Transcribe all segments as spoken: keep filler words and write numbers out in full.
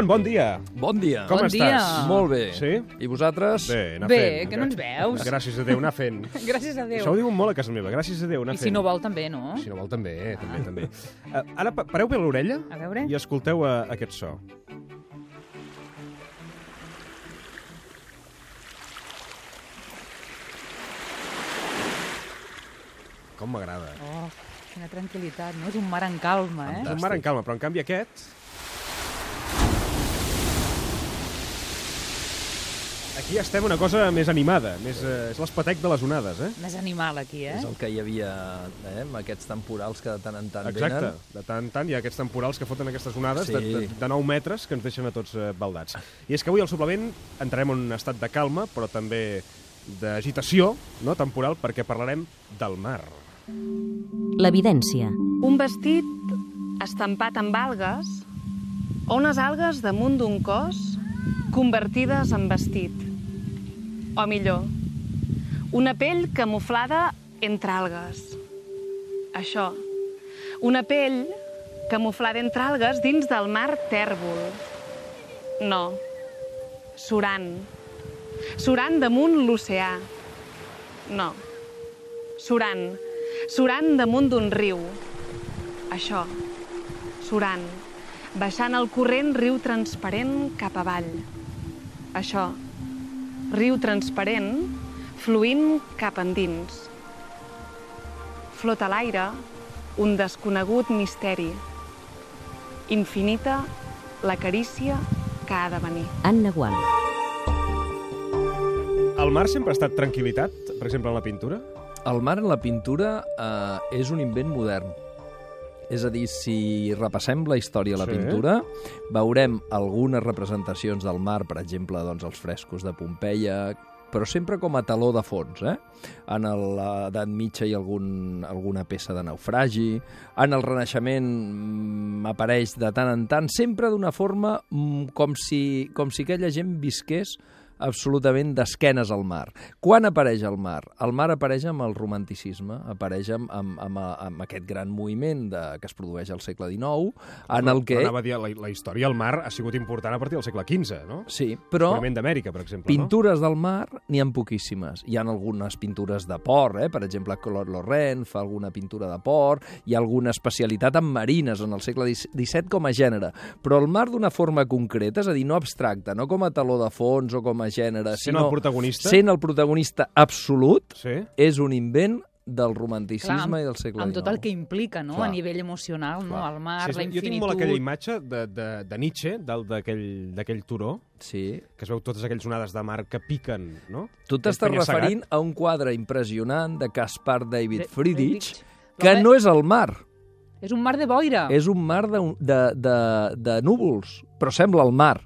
Ramon, bon dia. Bon dia. Com Bon estàs? dia. Molt bé. Sí? I vosaltres? Bé, anar Bé, fent. que no ens veus. Gràcies a Déu, anar fent. Gràcies a Déu. Això ho diuen molt a casa meva, gràcies a Déu, anar I fent. si no vol, també, no? Si no vol, també, també, també. Uh, ara, pa- pareu bé l'orella A veure. i escolteu uh, aquest so. Com m'agrada. Oh, quina tranquil·litat, no? És un mar en calma, eh? És un mar en calma, però en canvi aquest... Aquí estem una cosa més animada, més, uh, és l'espatec de les onades, eh? Més animal, aquí, eh? És el que hi havia eh, amb aquests temporals que de tant en tant Exacte, venen. de tant en tant hi ha aquests temporals que foten aquestes onades Sí. de, de, de nou metres que ens deixen a tots eh, baldats. I és que avui al suplement entrarem en un estat de calma, però també d'agitació, no, temporal, perquè parlarem del mar. L'evidència. Un vestit estampat amb algues o unes algues damunt d'un cos convertides en vestit. O millor, una pell camuflada entre algues. Això, una pell camuflada entre algues dins del mar tèrbol. No, surant. Surant damunt l'oceà. No, surant. Surant damunt d'un riu. Això, surant. Baixant el corrent riu transparent cap avall. Això, riu transparent fluint cap endins. Flota a l'aire un desconegut misteri. Infinita la carícia que ha de venir. Anna Gual. El mar sempre ha estat tranquil·litat, per exemple, en la pintura? El mar en la pintura eh, és un invent modern. És a dir, si repassem la història de la Sí. pintura, veurem algunes representacions del mar, per exemple, doncs, els frescos de Pompeia, però sempre com a taló de fons, eh? En l'edat mitja hi ha algun, alguna peça de naufragi, en el Renaixement mm, apareix de tant en tant, sempre d'una forma mm, com, si, com si aquella gent visqués absolutament d'esquenes al mar. Quan apareix el mar? El mar apareix amb el romanticisme, apareix amb, amb, amb, amb aquest gran moviment de, que es produeix al segle dinou, en el que... Però anava a dir, la, la història del mar ha sigut important a partir del segle quinze, no? Sí, però Descobriment d'Amèrica, per exemple, pintures del mar n'hi ha poquíssimes. Hi ha algunes pintures de port, eh? Per exemple, Claude Lorrain fa alguna pintura de port, hi ha alguna especialitat en marines en el segle disset com a gènere, però el mar d'una forma concreta, és a dir, no abstracta, no com a taló de fons o com a gènere, Sent sinó el protagonista? sent el protagonista absolut, no? Sí. és un invent del romanticisme Clar, amb- i del segle Amb tot el dinou. que implica, no? Clar. A nivell emocional, no? Clar. El mar, Sí, la sí, jo infinitud... tinc molt aquella imatge de, de, de Nietzsche, del- d'aquell d'aquell turó, Sí. que es veu totes aquelles onades de mar que piquen, no? Tu Aquell t'estàs penya-segat. referint a un quadre impressionant de Caspar David De- Friedrich, Friedrich. que L'home- no és el mar. És un mar de boira. És un mar de, de, de, de núvols, però sembla el mar.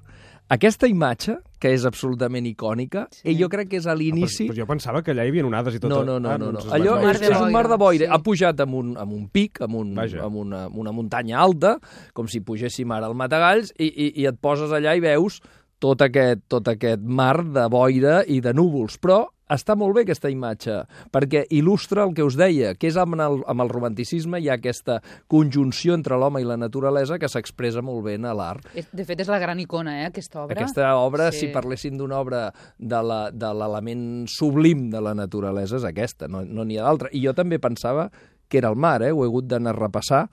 Aquesta imatge, que és absolutament icònica, Sí. sí. jo crec que és a Ah, l'inici... però, però jo pensava que allà hi havia onades i tot. No, no, no, Ah, no, no. doncs Allò vaig- mar és, de és un mar de boira, boira. sí. Ha pujat amb un, amb un pic, amb, un, Vaja. amb una, una muntanya alta, com si pugéssim ara al Matagalls, i, i, i et poses allà i veus tot aquest, tot aquest mar de boira i de núvols. Però està molt bé aquesta imatge, perquè il·lustra el que us deia, que és amb el, amb el romanticisme hi ha aquesta conjunció entre l'home i la naturalesa que s'expressa molt bé en l'art. És- De fet, és la gran icona, eh, aquesta obra. Aquesta obra, Sí. si parléssim d'una obra de la- de l'element sublim de la naturalesa, és aquesta, no no n'hi ha d'altra. I jo també pensava que era el mar, eh? Ho he hagut d'anar a repassar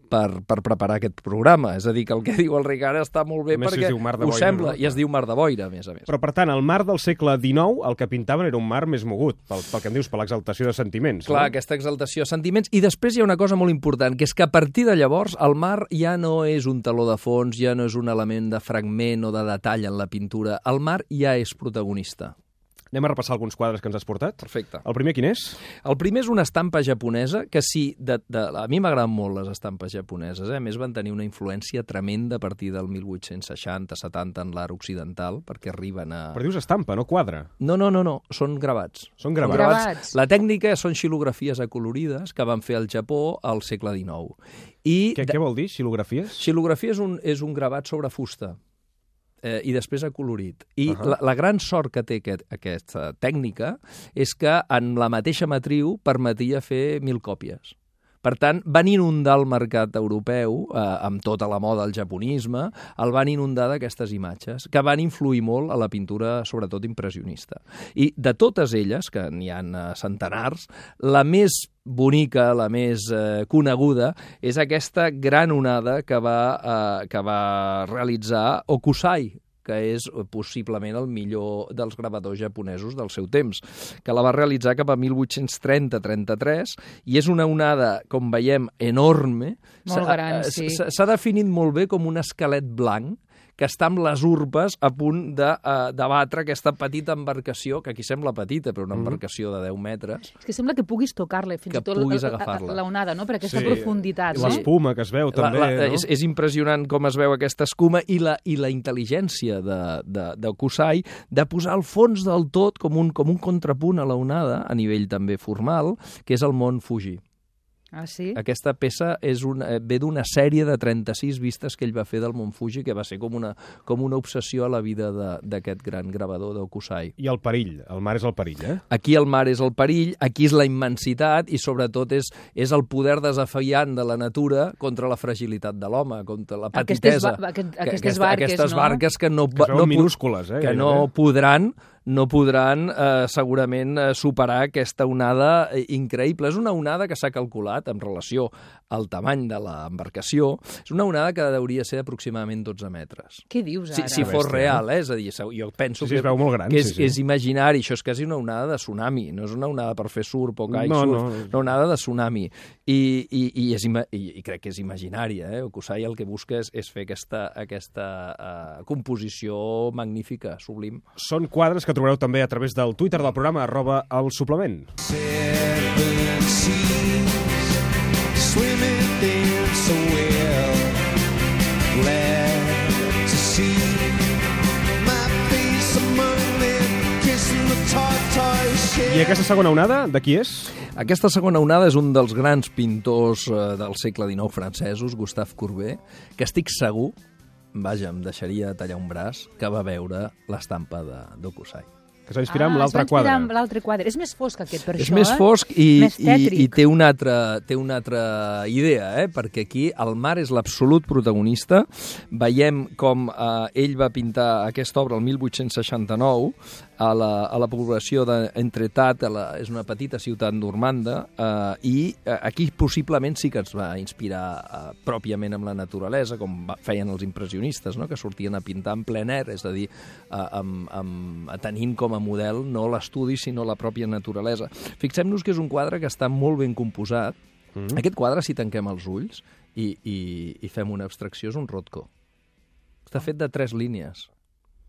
per, per preparar aquest programa. És a dir, que el que diu el Ricard està molt bé A més, perquè es diu mar de ho boira, sembla, no? i es diu mar de boira, a més a més. Però, per tant, el mar del segle dinou, el que pintaven era un mar més mogut, pel, pel que em dius, per l'exaltació de sentiments. Clar, no? aquesta exaltació de sentiments. I després hi ha una cosa molt important, que és que a partir de llavors el mar ja no és un taló de fons, ja no és un element de fragment o de detall en la pintura. El mar ja és protagonista. Anem a repassar alguns quadres que ens has portat. Perfecte. El primer quin és? El primer és una estampa japonesa, que sí, de, de, a mi m'agraden molt les estampes japoneses, eh? A més van tenir una influència tremenda a partir del mil vuit-cents seixanta setanta en l'art occidental, perquè arriben a... Però dius estampa, no quadre. No, no, no, no, són gravats. Són gravats. Gravats. La tècnica són xilografies acolorides que van fer al Japó al segle dinou. I Què, què vol dir, xilografies? xilografia és un, és un gravat sobre fusta. Eh, i després acolorit. I Uh-huh. la, la gran sort que té aquest, aquesta tècnica és que en la mateixa matriu permetia fer mil còpies. Per tant, van inundar el mercat europeu, eh, amb tota la moda del japonisme, el van inundar d'aquestes imatges, que van influir molt a la pintura, sobretot impressionista. I de totes elles, que n'hi ha centenars, la més bonica, la més eh, coneguda, és aquesta gran onada que va, eh, que va realitzar Hokusai, que és possiblement el millor dels gravadors japonesos del seu temps, que la va realitzar cap a mil vuit-cents trenta trenta-tres, i és una onada, com veiem, enorme. Molt gran, sí. S'ha definit molt bé com un esquelet blanc, que està amb les urpes a punt de, uh, de batre aquesta petita embarcació, que aquí sembla petita, però una embarcació de deu metres. És que sembla que puguis tocar-la, fins que i tot puguis la, agafar-la. la onada, no? Per aquesta Sí. profunditat. No? L'espuma que es veu, també. La, la, no? és, és impressionant com es veu aquesta escuma i la, i la intel·ligència de, de, de Kusai de posar al fons del tot com un, com un contrapunt a la onada, a nivell també formal, que és el mont Fuji. Ah, sí? Aquesta peça és una, ve d'una sèrie de trenta-sis vistes que ell va fer del Mont Fuji, que va ser com una, com una obsessió a la vida d'aquest gran gravador d'Hokusai. I el perill, el mar és el perill, eh? Aquí el mar és el perill, aquí és la immensitat i sobretot és, és el poder desafiant de la natura contra la fragilitat de l'home, contra la petitesa. Aquestes, ba aquest, aquestes Aquesta, barques, aquestes no? barques que no, Que es veuen no, minúscules, eh? que no podran no podran eh, segurament eh, superar aquesta onada eh, increïble. És una onada que s'ha calculat en relació al tamany de l'embarcació. És una onada que hauria ser aproximadament dotze metres. Què dius Si, ara? si fos real, eh? És a dir, jo penso Sí, sí, que, es veu molt gran, que és, sí, sí. és imaginari. Això és quasi una onada de tsunami. No és una onada per fer surf o kitesurf. No, no. Una onada de tsunami. I, i, i, és ima i, i crec que és imaginària. Eh? Hokusai el que busca és, és fer aquesta, aquesta uh, composició magnífica, sublim. Són quadres que trobareu també a través del Twitter del programa, arroba el suplement. Seven seas, swimming in so well, glad to see my face among them, kissing the tartar shell. I aquesta segona onada, de qui és? Aquesta segona onada és un dels grans pintors eh, del segle dinou francesos, Gustave Courbet, que estic segur, vaja, em deixaria tallar un braç, que va veure l'estampa d'Hokusai. Que s'ha inspirat amb Ah, l'altre es va inspirar quadre. amb l'altre quadre. És més fosc aquest, per És això, més eh? fosc i, Més i, tètric. i té, una altra, té una altra idea, eh? Perquè aquí el mar és l'absolut protagonista. Veiem com eh, ell va pintar aquesta obra el mil vuit-cents seixanta-nou a la, a la població d'Entretat, és una petita ciutat normanda, eh, i eh, aquí possiblement sí que es va inspirar eh, pròpiament amb la naturalesa, com va, feien els impressionistes, no? Que sortien a pintar en ple air, és a dir, eh, amb, amb, tenint com a model no l'estudi, sinó la pròpia naturalesa. Fixem-nos que és un quadre que està molt ben composat. Mm-hmm. Aquest quadre, si tanquem els ulls i, i, i fem una abstracció, és un Rothko. Està fet de tres línies.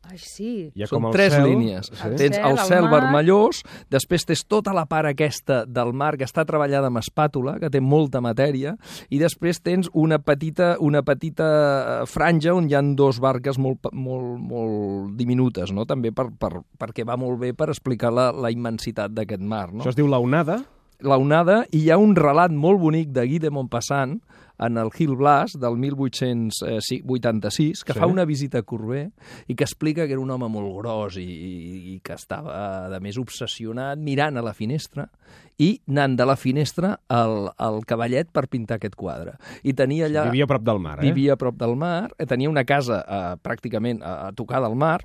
Ai, sí. Hi ha Són com el tres cel, línies. sí. El Tens cel, el el cel mar. vermellós, després tens tota la part aquesta del mar que està treballada amb espàtula, que té molta matèria, i després tens una petita, una petita franja on hi ha dos barques molt, molt, molt diminutes, no? També per, per, perquè va molt bé per explicar la, la immensitat d'aquest mar. No? Això es diu la onada. La onada, i hi ha un relat molt bonic de Guy de Maupassant en el Gil Blas del mil vuit-cents vuitanta-sis, que Sí. fa una visita a Courbet i que explica que era un home molt gros i, i, i que estava, de més, obsessionat mirant a la finestra i anant de la finestra al, al cavallet per pintar aquest quadre. I tenia allà... Vivia a prop del mar, eh? Vivia a prop del mar, eh, tenia una casa eh, pràcticament a, a tocar del mar,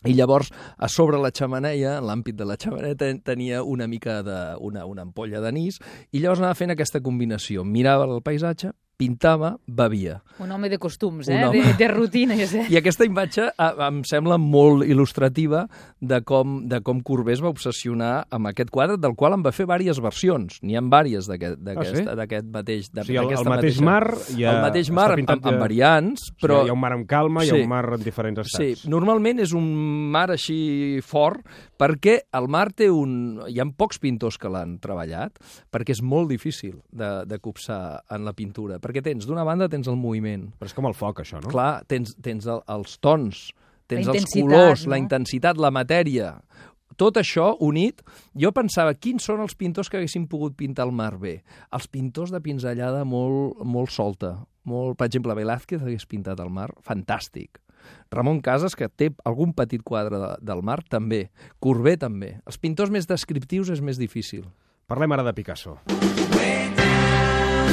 i llavors, a sobre la xemeneia, en l'àmbit de la xemeneia, ten, tenia una mica de, una, una ampolla d'anís, i llavors anava fent aquesta combinació. Mirava el paisatge, pintava, bevia. Un home de costums, Un eh? home. De, de rutines, eh? I aquesta imatge eh, em sembla molt il·lustrativa de com, de com Courbet es va obsessionar amb aquest quadre, del qual en va fer diverses versions. N'hi ha diverses d'aquest Ah, sí? mateix... O sigui, el, el d'aquesta mateix mateixa- mar... Ja el mateix mar està amb, pintat amb, amb de- variants, O sigui, però... hi ha un mar amb calma, hi ha Sí. un mar en diferents estats. Sí, normalment és un mar així fort perquè el mar té un... Hi ha pocs pintors que l'han treballat perquè és molt difícil de, de copsar en la pintura. Perquè tens, d'una banda, tens el moviment. Però és com el foc, això, no? Clar, tens, tens el, els tons, tens La els intensitat, colors, no? la intensitat, la matèria. Tot això unit, jo pensava, quins són els pintors que haguessin pogut pintar el mar bé? Els pintors de pinzellada molt, molt solta. Molt, per exemple, Velázquez hagués pintat el mar, fantàstic. Ramon Casas, que té algun petit quadre de, del mar, també. Courbet, també. Els pintors més descriptius és més difícil. Parlem ara de Picasso. Way down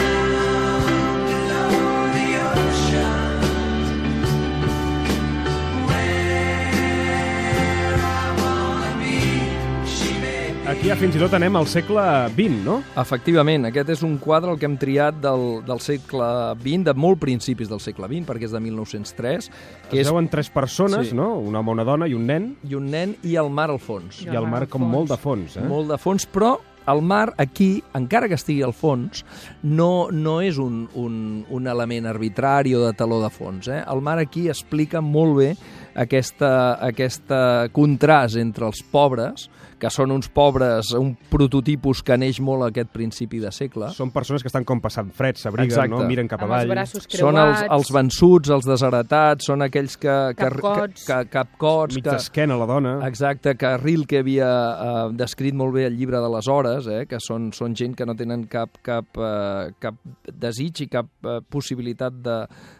Aquí ja fins i tot anem al segle vint, no? Efectivament, aquest és un quadre el que hem triat del, del segle vint, de molt principis del segle vint, perquè és de mil nou-cents tres. Que Es és veuen tres persones, Sí. no? Un home, una dona i un nen, i un nen i el mar al fons. i el mar com molt de fons, eh? Molt de fons, però el mar aquí, encara que estigui al fons, no, no és un, un, un element arbitrari o de taló de fons. Eh? El mar aquí explica molt bé aquesta, aquesta contrast entre els pobres, que són uns pobres, un prototipus que neix molt a aquest principi de segle. Són persones que estan com passant fred, s'abriguen, Exacte. no? Miren cap Amb els avall. braços creuats. Són els, els vençuts, els desheretats, són aquells que... que Capcots. Que, que, capcots. Mig que, d'esquena, la dona. Exacte, que Rilke havia eh, descrit molt bé el llibre de les hores, eh, que són, són gent que no tenen cap, cap, eh, cap desig i cap eh, possibilitat de,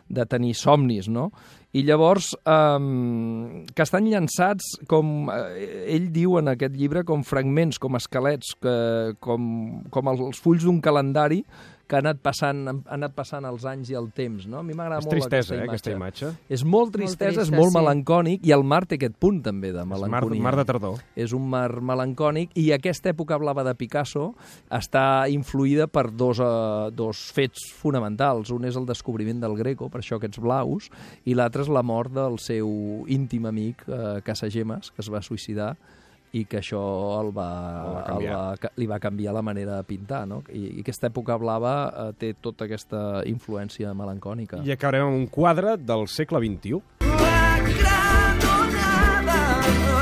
de tenir somnis, no? I llavors, eh, que estan llançats, com eh, ell diu en aquest llibre, com fragments, com esquelets, que, com, com els fulls d'un calendari que ha anat passant, han anat passant els anys i el temps, no? A mi m'agrada És molt tristesa, aquesta eh, imatge. aquesta imatge. És molt tristesa, trista, és molt sí. melancònic, i el mar té aquest punt també de És mar, melanconia. mar de tardor. És un mar melancònic, i aquesta època blava de Picasso està influïda per dos, uh, dos fets fonamentals. Un és el descobriment del Greco, per això aquests blaus, i l'altre és la mort del seu íntim amic, uh, Casagemas, que es va suïcidar, i que això el va, El va el canviar. va, li va canviar la manera de pintar, no? I, i aquesta època blava eh, té tota aquesta influència melancònica. I acabarem amb un quadre del segle vint-i-u. La granonada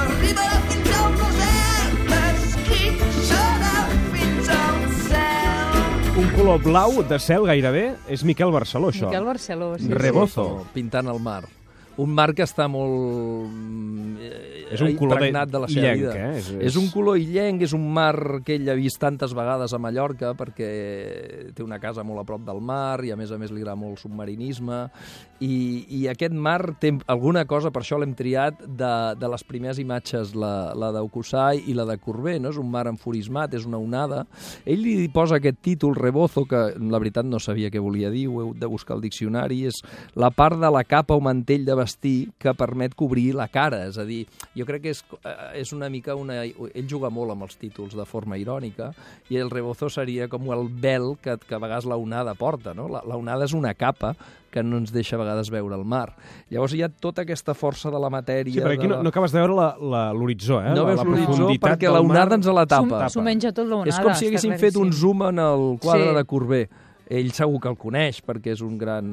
arriba fins al desert, esquitxarà fins al cel. Un color blau de cel gairebé. És Miquel Barceló, això. Miquel Barceló, sí. Rebozo. Pintant el mar. Un mar que està molt eh, És un color de- impregnat de la seva illenc, vida. eh? És- És, és- és un color illenc, és un mar que ell ha vist tantes vegades a Mallorca, perquè té una casa molt a prop del mar i a més a més li agrada molt el submarinisme, i, i aquest mar té alguna cosa, per això l'hem triat, de, de les primeres imatges, la, la d'Aucusai i la de Courbet, no? És un mar enfurismat, és una onada. Ell li posa aquest títol, Rebozo, que la veritat no sabia què volia dir, ho heu de buscar al diccionari, és la part de la capa o mantell de vestir que permet cobrir la cara, és a dir, jo crec que és, eh, és una mica una... Ell juga molt amb els títols de forma irònica, i el rebozo seria com el vel que, que a vegades la onada porta, no? La, la onada és una capa que no ens deixa a vegades veure el mar. Llavors hi ha tota aquesta força de la matèria... Sí, però aquí de no, la... no acabes de veure la- la- l'horitzó, eh? No la, veus la l'horitzó profunditat perquè del la mar. onada ens la tapa. S'ho menja tot l'onada. És com si està haguessin fet un claríssim. zoom en el quadre Sí. de Courbet. Ell segur que el coneix, perquè és un gran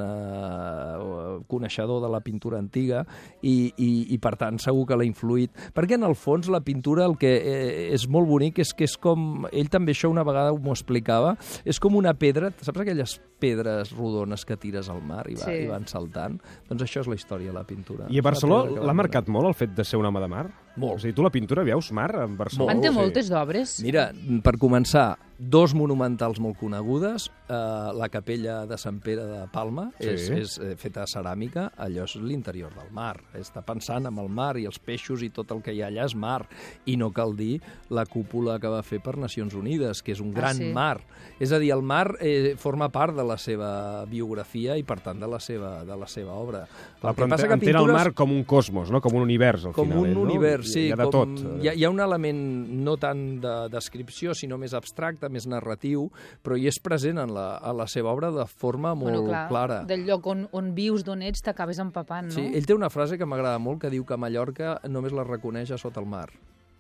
eh, coneixedor de la pintura antiga, i, i, i per tant segur que l'ha influït. Perquè en el fons la pintura el que eh, és molt bonic és que és com... Ell també això una vegada m'ho explicava, és com una pedra, saps aquelles pedres rodones que tires al mar i, va, Sí. i van saltant? Doncs això és la història de la pintura. I a És una Barcelona pedra que l'ha va marcat molt el fet de ser un home de mar? Molt. O sigui, tu la pintura veus mar a Barcelona? En té Sí. moltes d'obres. Mira, per començar, dos monumentals molt conegudes, eh, la capella de Sant Pere de Palma, Sí. és, és eh, feta de ceràmica, allò és l'interior del mar, està pensant en el mar i els peixos i tot el que hi ha allà és mar, i no cal dir la cúpula que va fer per Nacions Unides, que és un Ah, gran sí? mar. És a dir, el mar eh, forma part de la seva biografia i, per tant, de la seva, de la seva obra. Clar, El que però passa que entén el pintures- mar com un cosmos, no? Com un univers, al com final. un ell, no? univers, sí. Hi ha de com, tot. Hi ha, hi ha un element no tant de descripció, sinó més abstracte, més narratiu, però hi és present en la, a la seva obra de forma molt bueno, clar, clara. Del lloc on, on vius, d'on ets, t'acabes empapant, no? Sí, ell té una frase que m'agrada molt, que diu que Mallorca només la reconeix a sota el mar.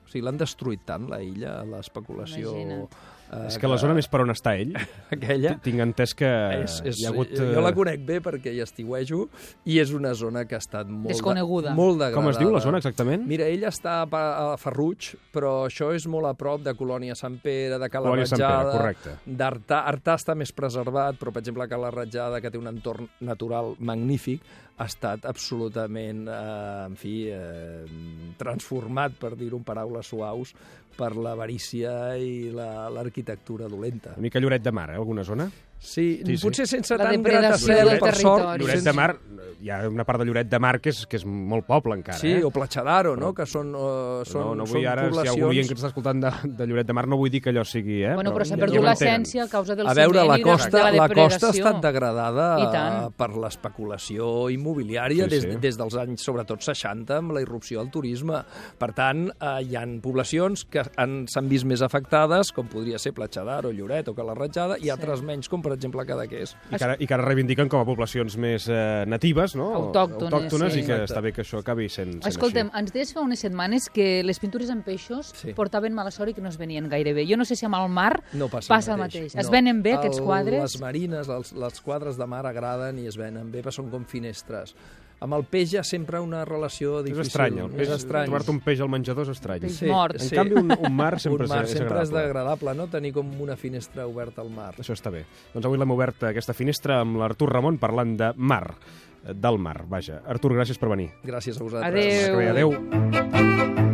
O sigui, l'han destruït tant, la illa, l'especulació... Imagina't. Eh, És que la zona més per on està ell, aquella... tinc entès que És, és, hi ha hagut... Jo la eh, conec bé perquè hi estiuejo, i és una zona que ha estat molt... Desconeguda. Molt degradada. Com es diu la zona exactament? Mira, ell està a Pa- a Ferruig, però això és molt a prop de Colònia Sant Pere, de Cala Colònia Sant Pere, Ratjada, correcte. d'Artà. Artà està més preservat, però, per exemple, Cala Ratjada, que té un entorn natural magnífic, ha estat absolutament, eh, en fi, eh, transformat, per dir-ho en paraules suaus, per l'avarícia i la- l'arquitectura dolenta. Una mica Lloret de Mar, eh? Alguna zona? Sí, Sí, sí. potser sense La tant depredació gratacel, del per sort. territori. Lloret de Mar, hi ha una part de Lloret de Mar que és, que és molt poble encara, Sí, eh? o Platxadaro, no?, que són, uh, són, no, no són vull ara, poblacions... si hi ha algú oient que ens està escoltant de, de Lloret de Mar, no vull dir que allò sigui, eh? Bueno, però s'ha ja perdut ho l'essència a causa del A veure, ciment la i de, costa, de la la depredació. costa ha estat degradada I tant. eh, per l'especulació immobiliària Sí, des, sí. des dels anys, sobretot, seixanta, amb la irrupció del turisme. Per tant, eh, hi han poblacions que han- s'han vist més afectades, com podria ser Platxadaro, Lloret o Cala Ratjada, i altres menys, com per exemple Cadaqués. I que, ara, I que ara reivindiquen com a poblacions més eh, natives, no? Autòctones, Autòctones sí. i que Exacte. està bé que això acabi sent, sent Escoltem, així. ens deies fa unes setmanes que les pintures en peixos Sí. portaven mala sort i que no es venien gaire bé. Jo no sé si amb el mar No passa, passa el mateix. Es venen bé, aquests quadres? Les marines, els, les quadres de mar agraden i es venen bé, però són com finestres. Amb el peix hi ha sempre una relació És difícil. estrany, el peix, és estrany. trobar-te un peix al menjador és estrany. Peix mort. En canvi, un, un mar sempre, un mar és, és sempre és agradable. agradable, no?, tenir com una finestra oberta al mar. Això està bé. Doncs avui l'hem obert aquesta finestra amb l'Artur Ramon parlant de mar, del mar, vaja. Artur, gràcies per venir. Gràcies a vosaltres. Adéu. Que bé, adéu.